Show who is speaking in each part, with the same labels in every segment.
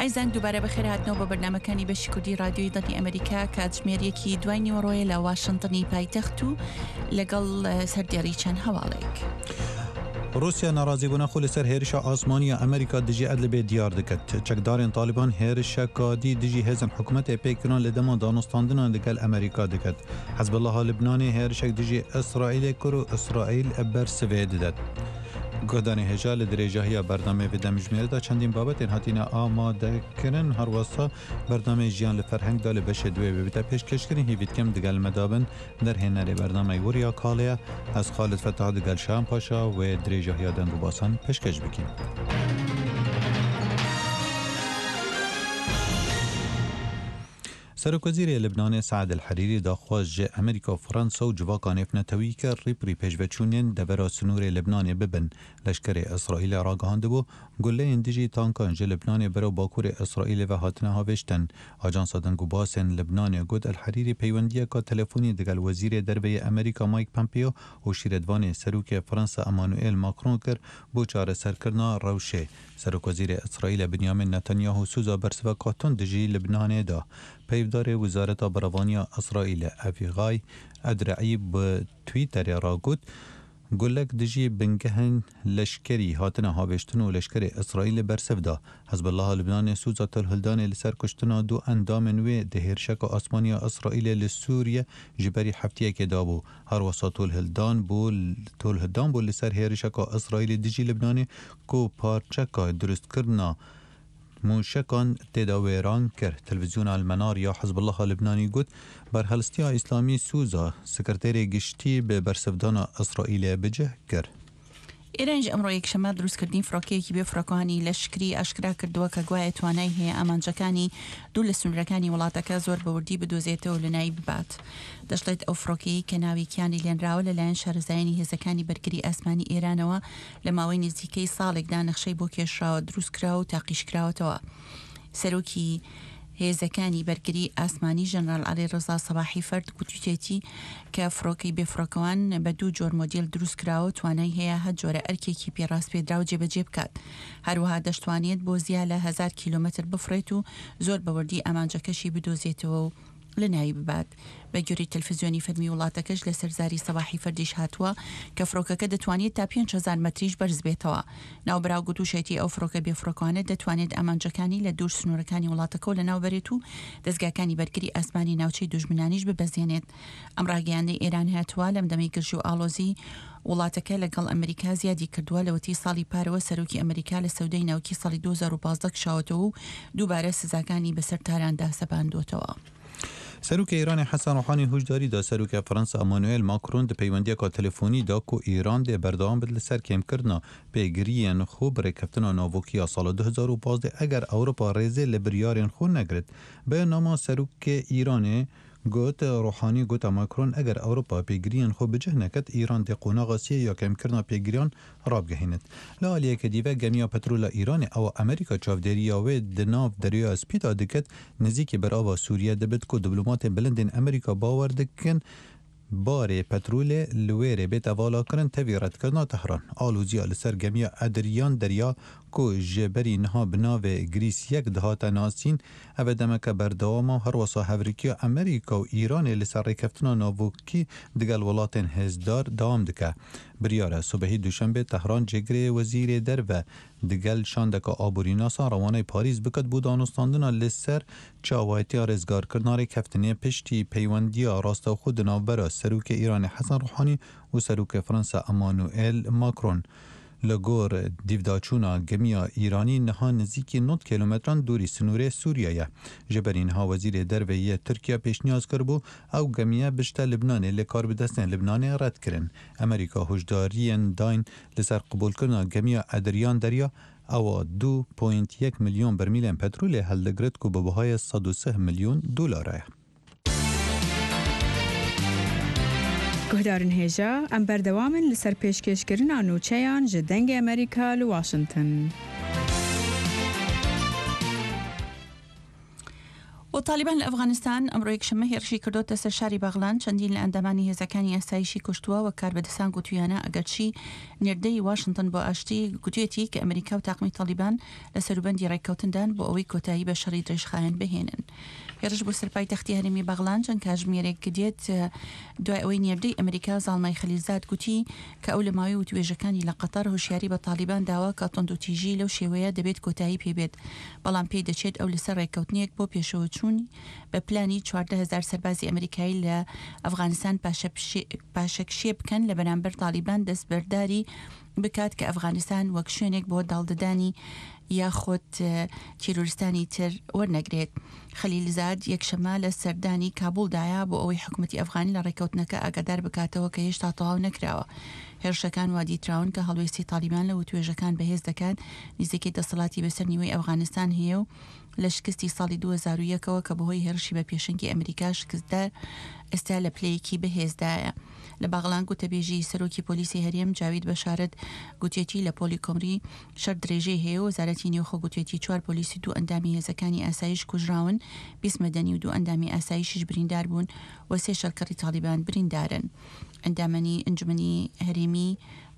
Speaker 1: ئایزان دووبارە بەخێرهاتنەوە بۆ بەرنامەکانی بەشی کوردی ڕادیۆی دەنگی ئەمریکا کاتژمێر یەکی دوای نیوەڕۆیە لە واشنتنی پایتەخت و لەگەڵ سەردێڕی چەند هەواڵێک.
Speaker 2: روسیا ناڕازیبوونا خۆ لەسەر هێرشە ئاسمانیە ئەمریکا دژی ئەدلبێ دیار دکرد. چەکدارێن تالیبان هێرشەکا دی دژی هێزن حکومەتێ پێک کران لە دەما دانوستاندنان لەگەل ئەمریکا دکرد. حزبوڵڵاها لبنانê hêrişek dijî Îsraîlê kir û Îsraîl bersivê didet. Guhdarên hêja li dirêjahiya bernameyê vê demjimêrê de çendîn babetên hatîne amadekirin. Her wesa bernameyê Jiyan li Ferheng de li beşê duê wê bite pêşkêşkirin. Hêvî dikim digel me de bin. Derhênerê bernameyê Wurya Kalê ye. Ez Xalid Fetah digel Şahan Paşa wê dirêjahiya deng û basan pêşkêş bikîn. Serokwezîrê Libnanê Saad El Herîrî daxwaz ji Amerîka û Fransa û civaka nêvnetewî kir rîprî pêşveçûnên devera sinûrê Libnanê bibin. Leşkerê Îsraîlê ragihandibû, guleyên dijî tankan ji Libnanê berew bakurê Îsraîlê ve hatine havêjtin. Ajansa Deng û Basên Libnanê got El Herîrî peywendiyeka telefonî digel Wezîrê Derve yê Amerîka Mike Pompeo û şîretvanê Serokê Fransa Emmanuel Macron kir bo çareserkirina rewşê. Serokwezîrê Îsraîlê Binyamin Netanyahu soza bersiveka tund dijî Libnanê da. Peyvdarê Wezareta Berevaniya Îsraîlê Avigay Adraî bi Twitterê re got, Gulek dijî bingehên leşkerî hatine havêjtin û leşkerê Îsraîlê bersiv da. Hizbullaha Libnanê soza tolhildanê li ser kuştina du endamên wê di hêrişeka asmanî ya Îsraîlê li Sûriye ji berî hefteyekê dabû. Her wisa tolhildan bû tolhildan bû li ser hêrişeka Îsraîlê dijî Libnanê ku parçeka dirustkirina mûşekan tê de wêran kir. Televîzyona El Menar ya Hizbullaha Libnanî got, Berhelstiya Îslamî soza Sekreterê Giştî bi bersivdana Îsraîlê bi cih kir.
Speaker 1: ئێران ژ ئەمڕۆ یەکشەممە دروستکردنی فڕۆکەیەکی بێ فڕۆکەوانی لەشکری ئاشکرا کردووە کە گوایە توانای هەیە ئامانجەکانی دوور لە سنوورەکانی وڵاتەکە زۆر بە وردی بدۆزێتەوە و لەناوی ببات. دەشڵێت ئەو فڕۆکەیەی کە ناوی کیانی لێنراوە لەلایەن شارەزایانی هێزەکانی بەرگری ئاسمانی ئێرانەوە لە ماوەی نزیکەی ساڵێکدا نەخشەی بۆ کێشراوە، دروستکراوە و تاقیشکراوەتەوە. سەرۆکی هێزەکانی بەرگری ئاسمانی ژەنراڵ عەلی ڕەزا سەباحی فەرد گوتویەتی کە فڕۆکەی بێفڕۆکەوان بە دوو جۆر مۆدیل دروستکراوە و توانای هەیە هەر جۆرە ئەرکێکی پێ ڕاسپێردراو جێبەجێ بکات. هەروەها دەشتوانێت بۆ زیا لە هەزار کیلۆمەتر بفڕێت و زۆر بە وردی ئامانجەکەشی بدۆزێتەوە و لەناوی ببات. بەگوێرەی تەلفزیۆنی فەرمی وڵاتەکەش لەسەر زاری سەباحی فەردیش هاتووە کە فڕۆکەکە دەتوانێت تا 5000 مەتریش بەرز بێتەوە. ناوبراو گوتوشێتی ئەو فڕۆکە بێفڕۆکەوانە دەتوانێت ئامانجەکانی لە دوور سنوورەکانی وڵاتەکەوە لەناو بەرێت و دەزگاکانی بەرگری ئاسمانی ناوچەی دوژمنانیش ببەزێنێت. ئەم ڕاگەیاندنەی ئێران هاتووە لەم دەمەی گرژی و ئاڵۆزی وڵاتەکە لەگەڵ ئەمریکا زیادی کردووە لەوەتەی ساڵی پارەوە سەرۆکی ئەمریکا لە سەودای ناوکی ساڵی 2015 کشاوەتەوە و دووبارە سزاکانی بەسەر تاراندا سەپاندووەتەوە.
Speaker 2: سەرۆکی ئێرانێ حەسەن ڕۆحانی هوشداری دا سەرۆکê Fransa Emmanuel Macron di peywendiyeka telefonî de ku Îran dê berdewam bit li ser kêmkirina pêgiriyên xwe bi rêkeftina navokî ya sala 2015 eger Ewropa rêzê li biryarên xwe negirit. Beyannama serokê Îranê Got, Ruhanî gota Macron eger Ewropa pêgiriyên xwe bi cih neket, Îran dê qonaxa siyê ya kêmkirina pêgiriyan rabigihînit. Li aliyekê dî ve gemiya petrola Îranê ewa Amerîka çavdêriya wê di nav Deryaya Spî de diket, nêzîkî berava Sûriye dibit ku diplomatên bilind ên Amerîka bawer dikin barê petrolê li wê rê bête valakirin tevî redkirina Tehran. Aloziya li ser gemiya Edriyan Derya ku ji berî niha bi navê Grîs yek dihate nasîn, Ev e demeke berdewam e û herwesa hevrikiya Amerîka û Îranê li ser rêkeftina navokî digel welatên hêzdar dewam dike. Biryar e sibehî Duşembê Tehran cêgirê Wezîrê Derve digel şandeke aborînasan rewaneyê Parîs biket bo danûstandina li ser çawayetiya rêzgarkirina rêkeftinê piştî peywendiya rastewxwe di navbera Serokê Îranê Hesen Ruhanî û Serokê Fransa Emmanuel Macron. Li gor dîvdaçûna gemiya Îranî niha nizîkî 90 kîlometran dûrî sinûrê Sûriye ye. Ji berî niha Wezîrê Derve yê Tirkiye pêşniyaz kiribû ew gemiye bişte Libnanê lê karbidestên Libnanê red kirin. Amerîka huşdariyên dayn li ser qebûlkirina gemiya Edriyan Derya ewa du point yek milyon bermîlên petrolê hildigirit ku bi bihayê 103 milyon dolar e.
Speaker 3: Guhdarên hêja, em berdewam in li ser pêşkêşkirina nûçeyan ji Dengê Amerîka li Washington.
Speaker 1: و تاڵیبان لە ئەفغانستان ئەمڕۆ یەکشەممە هێرشی کردۆتە سەر شاری بەغلان، چەندین لە ئەندامانی هێزەکانی ئاسایشی کوشتووە، وەک کاربەدەستان گوتوویانە، ئەگەرچی نێردەی واشنتن بۆ ئاشتی گوتویەتی کە ئەمریکا و تاقمی تاڵیبان لە سەروبەندی ڕێککەوتندان بۆ ئەوەی کۆتایی بە شەڕی درێژخایەن بهێنن. هێرش بۆ سەر پایتەختی هەرێمی بەغلان چەند کاژمێرێک دێت دوای ئەوەی نێردەی ئەمریکا زاڵمای خەلیلزاد گوتی کە ئەو لە ماوەی وتوێژەکانی لە قەتەر هۆشیاری بە تاڵیبان داوە کە توندوتیژی لەو شێوەیە دەبێت کۆتایی پێ بێت، بەڵام پێی دەچێت ئەو لەسەر ڕێککەوتنێک بۆ پێشەوەچوونی بە پلانی 14,000 سەربازی ئەمریکایی لە ئەفغانستان پاشەکشێ بکەن لە بەرامبەر تاڵیبان دەستبەرداری بکات کە ئەفغانستان وەک شوێنێک بۆ داڵدەدانی یاخود تیرۆریستانی تر وەرنەگرێت. خەلیلزاد یەکشەممە لە سەردانی کابوڵدایە بۆ ئەوەی حکومەتی ئەفغانی لە ڕێککەوتنەکە ئاگادار بکاتەوە کە هێشتا تەواو نەکراوە. هێرشەکان وا دیتراون کە هەڵوێستی تاڵیبان لە وتوێژەکان بەهێز دەکات، نزیکەی دەسەڵاتی بەسەر نیوەی ئەفغانستان هەیە و لە شکستی ساڵی 2001 ەوە کە بەهۆی هێرشی بە پێشەنگی ئەمریکا شکستدا ئێستا لە پلەیەکی بەهێزدایە. لە باغڵان گوتەبێژی سەرۆکی پۆلیسی هەرێم جاوید بەشارەت گوتیەتی لە پۆلی کۆمری شەر درێژەی هەیە و وەزارەتی نێوخۆ گوتیەتی چوار پۆلیس و دوو ئەندامی هێزەکانی ئاسایش کوژراون، 20 مەدەنی و دوو ئەندامی ئاسایشیش بریندار بوون و سێ شەرکەڕی تاڵیبان بریندارن. ئەندامانی ئەنجومەنی هەرێمی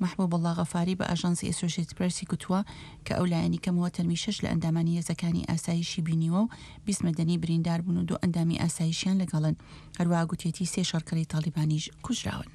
Speaker 1: مەحبوبوڵڵا غەفاری بە ئاژانسی ئەسۆشێتد پرێسی گوتووە کە ئەو لایەنی کەمەوە تەرمی شەش لە ئەندامانی هێزەکانی ئاسایشی بینیوە و 20 مەدەنی بریندار بوون و دوو ئەندامی ئاسایشیان لەگەڵن. هەروەها گوتیەتی سێ شەڕکەری تاڵیبانیش کوژراون.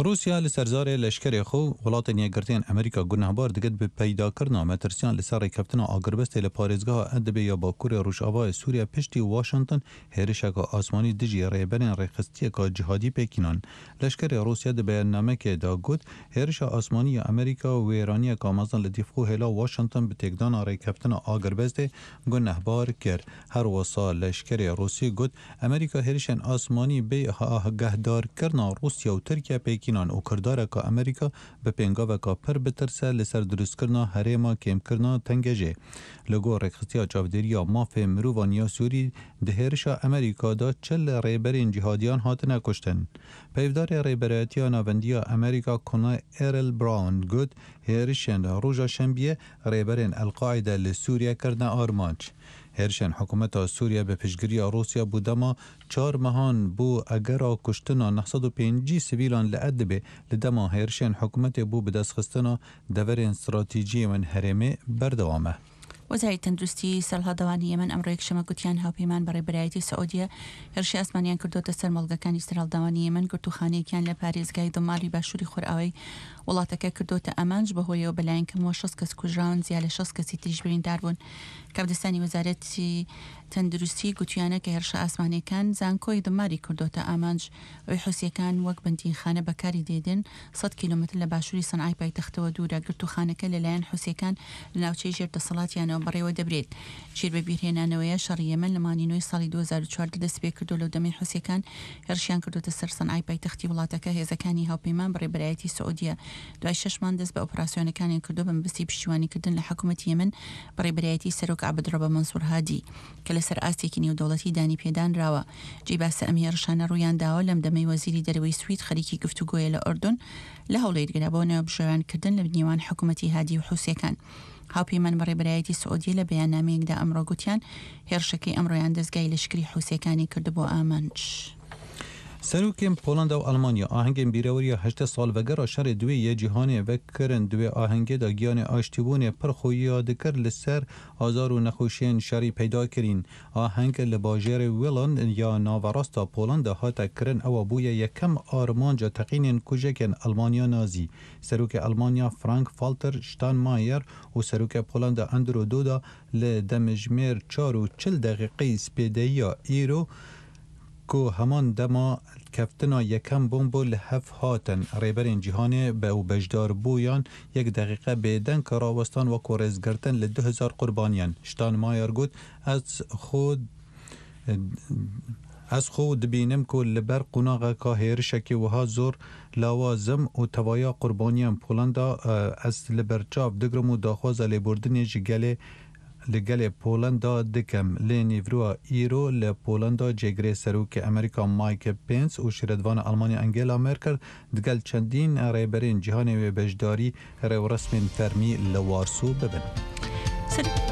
Speaker 2: ڕووسیا لە سەر زارێ لەشکەرێ خۆ وڵاتێن یەکگرتێن ئەمریکا گوناهبار دکرد bi peydakirina metirsiyan li ser rêkeftina agirbestê li parêzgeha Idlibê ya Bakurê Rojavayê Sûriye piştî Washington hêrişeke asmanî dijî rêberên rêxistiyeke cîhadî pêkînan. Leşkerê Rûsya di beyannamekê de got, Hêrişa asmanî ya Amerîka wêraniyeke mezin li dîfxû hêla Washington bi têkdana rêkeftina agirbestê gunehbar kir. Her wisa leşkerê Rûsî got, Amerîka hêrişên asmanî bê agahdarkirina Rûsya û Tirkiye pêkînan û kirdareke Amerîka bi pêngaveke pir bitirse li ser dirustkirina herêma kêmkirina tengejê. Li gor Rêkxistiya Çavdêriya Mafê Mirovan ya Sûrî di hêrişa Amerîka de 40 rêberên cîhadiyan hatine kuştin. Peyvdarê Rêberayetiya Navendiya Amerîka Colonel Errol Brown got, Hêrişên roja şembiyê rêberên El Qaîde li Sûriye kirine armanc. Hêrişên hikûmeta Sûriye bi piştgiriya Rûsya bû dema çar mehan bû egera kuştina 950 sivîlan li Idlibê li dema hêrişên hikûmetê bû bidestxistina deverên stratejî yên herêmê berdewam e.
Speaker 1: وەزارەتی تەندروستی سەرهەڵداوانی یەمەن ئەمڕۆ یەکشەممە گوتیان هاوپەیمان بە ڕێبەرایەتی سعودیە هێرشی ئاسمانیان کردۆتە سەر مۆڵگەکانی سەرهەڵداوانی یەمەن، گرتووخانەیەکیان لە پارێزگای دماری باشووری خۆرئاوای وڵاتەکە کردۆتە ئامانج، بەهۆیەوە بەلایەن کەمەوە 60 کەس کوژراون، زیا لە 60 کەسی تریش بریندار بوون. کاربەدەستانی وەزارەتی تەندروستی گوتویانە کە هێرشە ئاسمانیەکان زانکۆی دماری کردۆتە ئامانج، ئەوەی حوسیەکان وەک بەندینخانە بەکاری دێدن 100 کیلۆمەتر لە باشووری سەنعای پایتەختەوە دوورە، گرتووخانەکە لەلایەن حوسیەکان لە ناوچەی ژێر دەسەڵاتیانەوە بەڕێوە دەبرێت. ژیر بە بیرهێنانەوەیە شەڕی یەمەن لە مانگی نۆی ساڵی 2014 دەستپێکردو لەو دەمەی حوسیەکان هێرشیان کردۆتە سەر سەنعای پایتەختی وڵاتەکە هێزەکانی هاوپەیمان بە ڕێبەرایەتی سعودیە دوای شەش مانگ دەست بە ئۆپراسیۆنەکانیان کردو بە مەبەستی پشتیوانیکردن لە حکومەتی یەمەن بە ڕێبەرایەتی سەرۆک عەبدڕەبە مەنسوور هادی کە لەسەر ئاستێکی نێودەوڵەتی دانی پێدانراوە. جێی باسە ئەم هێڕشانە ڕوویان داوە لەم دەمەی وەزیری دەرەوەی سوید خەریکی گفتوگۆیە لە ئۆردون لە هەوڵێکدا بۆ ناوبژیوانکردن لە نێوان حکومەتی هادی و حوسیەکان. هاوپەیمان بە ڕێبەرایەتی سعودیە لە بەیاننامەیەکدا ئەمڕۆ گوتیان هێڕشەکەی ئەمڕۆیان دەزگای لەشکری حوسیەکانی کردبووە ئامانج.
Speaker 2: سەرۆکên Polanda û Elmanya ahengên bîreweriya 18 salvegera şerê duwê yê cîhanê vekirin. Di wê ahengê de giyanê aştîbûnê pir xuya dikir li ser azar û nexweşiyên şerî peyda kirîn. Aheng li bajêrê Wilan ya naverasta Polanda hate kirin ewa bûye yekem armanca teqînên kujekên Elmanya Nazî. Serokê Elmanya Frank-Walter Steinmeier û Serokê Polanda Andrew Duda li demjimêr çar û 40 deqîqeyî spêdeyiya îro ku heman dema keftina yekem bombo li hev hatin rêberên cîhanê be û beşdarbûyan yek deqîqe bêdeng rawestan wekû rêzgirtin li 2000 qurbaniyan. Steinmeier got ez xwe ez xwe dibînim ku li ber qonaxeka hêrişekî wiha zor lawazim û tevaya qurbaniyan Polanda ez li ber çav digirim û daxwaza lêbordinê ji gelê li gelê Polanda dikim. Lê nîvroa îro li Polanda cêgirê Serokê Amerîka Mike Pence û şîretvana Almanya Angela Merkel digel çendîn rêberên cîhanê wê beşdarî rêwresmên fermî li Warsaw bibin.